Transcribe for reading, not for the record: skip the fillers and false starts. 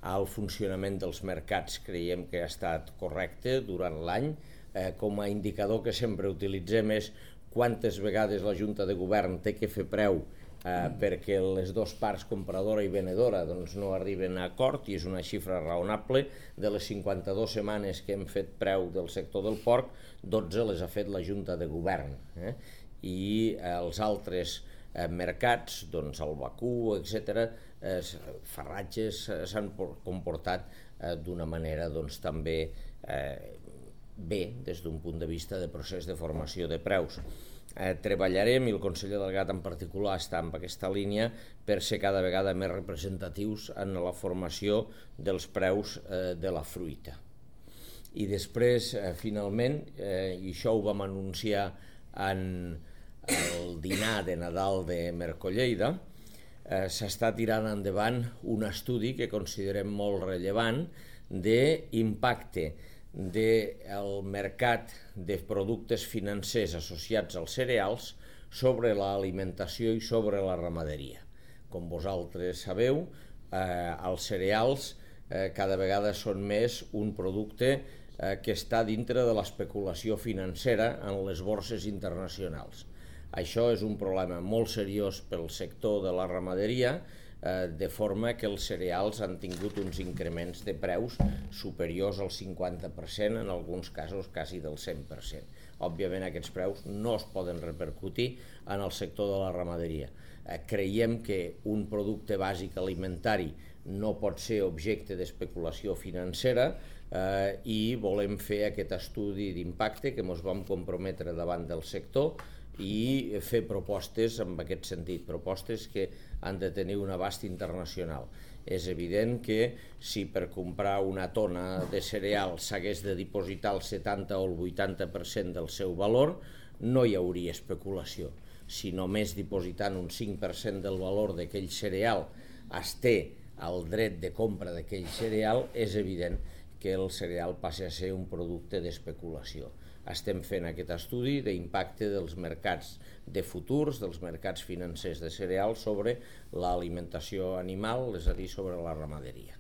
al funcionament dels mercats creiem que ha estat correcte durant l'any. Com a indicador que sempre utilitzem és quantes vegades la Junta de Govern té que fer preu perquè les dues parts, compradora i venedora, no arriben a acord, i és una xifra raonable. De les 52 setmanes que hem fet preu del sector del porc, 12 les ha fet la Junta de Govern. I els altres mercats, el vacú, etc., farratges, s'han comportat d'una manera també bé des d'un punt de vista de procés de formació de preus. Treballarem, i el conseller Delgat en particular està en aquesta línia, per ser cada vegada més representatius en la formació dels preus de la fruita. I després, finalment, i això ho vam anunciar en el dinar de Nadal de Mercolleida, s'està tirant endavant un estudi que considerem molt rellevant d'impacte del mercat de productes financers associats als cereals sobre l'alimentació i sobre la ramaderia. Com vosaltres sabeu, els cereals cada vegada són més un producte que està dintre de l'especulació financera en les borses internacionals. Això és un problema molt seriós pel sector de la ramaderia, de forma que els cereals han tingut uns increments de preus superiors al 50%, en alguns casos quasi del 100%. Òbviament aquests preus no es poden repercutir en el sector de la ramaderia. Creiem que un producte bàsic alimentari no pot ser objecte d'especulació financera i volem fer aquest estudi d'impacte que ens vam comprometre davant del sector i fer propostes en aquest sentit, propostes que han de tenir un abast internacional. És evident que si per comprar una tona de cereal s'hagués de dipositar el 70 o el 80% del seu valor, no hi hauria especulació. Si només dipositant un 5% del valor d'aquell cereal es té el dret de compra d'aquell cereal, és evident que el cereal passi a ser un producte d'especulació. Estem fent aquest estudi d'impacte dels mercats de futurs, dels mercats financers de cereals sobre l'alimentació animal, és a dir, sobre la ramaderia.